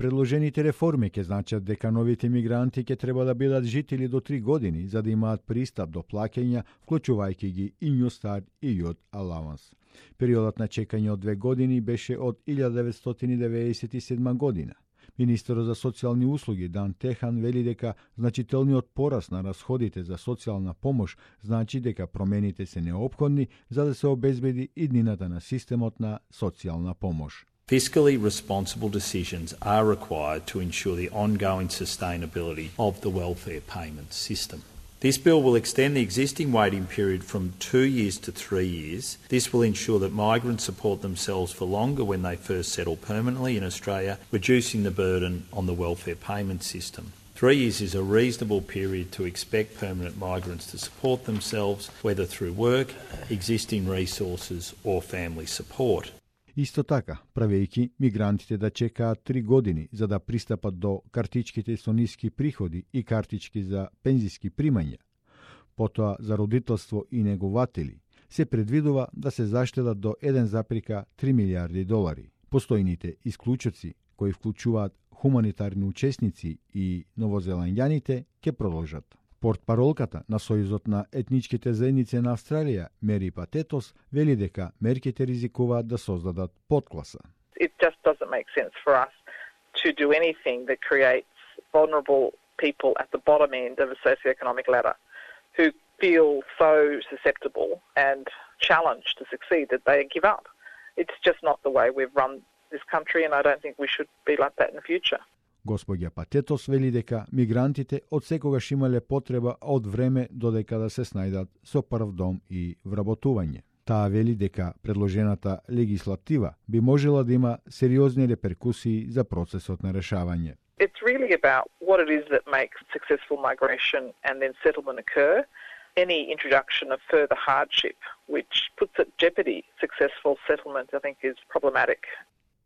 предложените реформи ќе значат дека новите мигранти ќе треба да бидат жители до 3 години за да имаат пристап до плаќања, вклучувајќи ги и New Start и Youth Allowance. Периодот на чекање од 2 години беше од 1997 година. Министерот за социјални услуги Дан Техан вели дека значителниот порас на расходите за социјална помош значи дека промените се неопходни за да се обезбеди иднината на системот на социјална помош. Fiscally responsible decisions are required to ensure the ongoing sustainability of the welfare payment system. This bill will extend the existing waiting period from 2 years to 3 years. This will ensure that migrants support themselves for longer when they first settle permanently in Australia, reducing the burden on the welfare payment system. 3 years is a reasonable period to expect permanent migrants to support themselves, whether through work, existing resources or family support. Исто така, правејќи мигрантите да чекаат 3 години за да пристапат до картичките со ниски приходи и картички за пензиски примања, потоа за родителство и негователи, се предвидува да се заштедат до 1,3 милиарди долари. Постојните исклучоци, кои вклучуваат хуманитарни учесници и новозеландјаните, ќе продолжат. Портпаролката на Сојузот на етничките заедници на Австралија, Мери Патетос, вели дека мерките ризикуваат да создадат подкласа. It just doesn't make sense for us to do anything that creates vulnerable people at the bottom end of a socioeconomic ladder who feel so susceptible and challenged to succeed that they give up. It's just not the way we've run this country, and I don't think we should be like that in the future. Господја Патетос вели дека мигрантите од секогаш имале потреба од време додека да се снајдат со прв дом и вработување. Таа вели дека предложената легислатива би можела да има сериозни реперкусии за процесот на решавање. It's really about what it is that makes successful migration and then settlement occur. Any introduction of further hardship, which puts at jeopardy successful settlement, I think is problematic.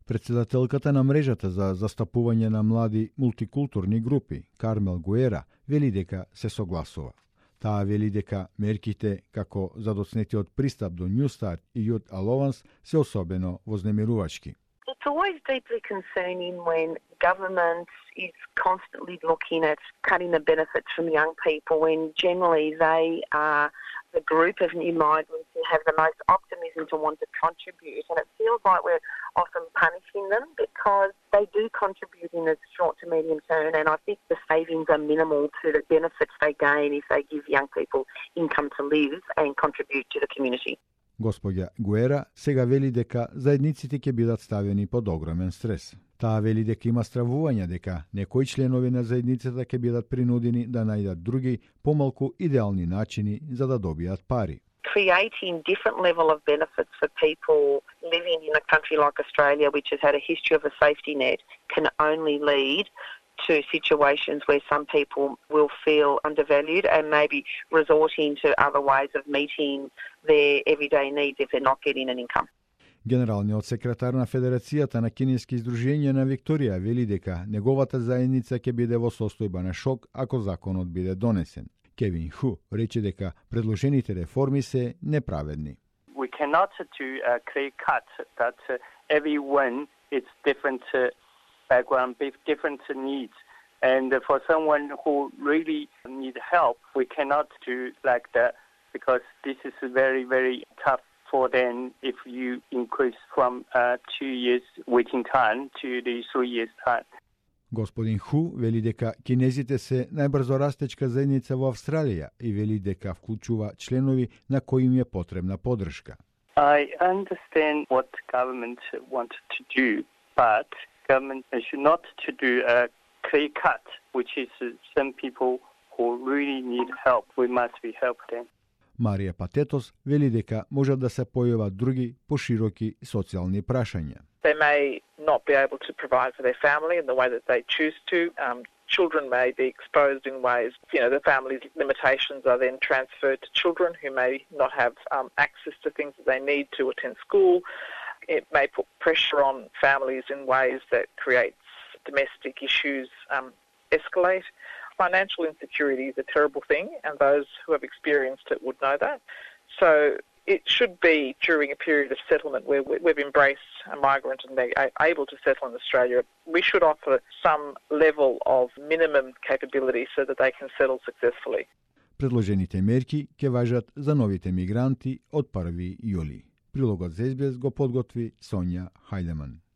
Председателката на мрежата за застапување на млади мултикултурни групи, Кармел Гуера, вели дека се согласува. Таа вели дека мерките како задоцнетиот пристап до New Start и Youth Allowance се особено вознемирувачки. It's always deeply concerning when government is constantly looking at cutting the benefits from young people when generally they are the group of new migrants who have the most optimism to want to contribute, and it feels like we're often punishing them because they do contribute in the short to medium term, and I think the savings are minimal to the benefits they gain if they give young people income to live and contribute to the community. Господја Гуера сега вели дека заедниците ќе бидат ставени под огромен стрес. Таа вели дека има стравување дека некои членови на заедницата ќе бидат принудени да најдат други, помалку идеални начини за да добијат пари. Creating different level of benefits for people living in a country like Australia, which has had a history of a safety net, can only lead to situations where some people will feel undervalued and maybe resorting to other ways of meeting their everyday needs if they're not getting an income. Генералниот секретар на Федерацијата на кинески издруженија на Викторија вели дека неговата заедница ќе биде во состојба на шок ако законот биде донесен. Кевин Ху рече дека предложените реформи се неправедни. We cannot do a clear cut that everyone is different background, different needs. And for someone who really need help, we cannot do like that because this is very, very tough for them if you increase from 2 years waiting time to the 3 years time. Господин Ху вели дека кинезите се најбрзо растечка заедница во Австралија и вели дека вклучува членови на кои им е потребна поддршка. I understand what government wants to do, but government should not to do a clear cut, which is some people who really need help. We must be help them. Марија Патетос вели дека можат да се појават други пошироки социјални прашања. They may not be able to provide for their family in the way that they choose to. Children may be exposed in ways, the family's limitations are then transferred to children who may not have access to things that they need to attend school. It may put pressure on families in ways that creates domestic issues escalate. Financial insecurity is a terrible thing, and those who have experienced it would know that. So it should be during a period of settlement where we've embraced a migrant and they're able to settle in Australia. We should offer some level of minimum capability so that they can settle successfully. Предложените мерки ќе важат за новите мигранти од 1 јули. Прилогот за SBS го подготви Сонја Хајдеман.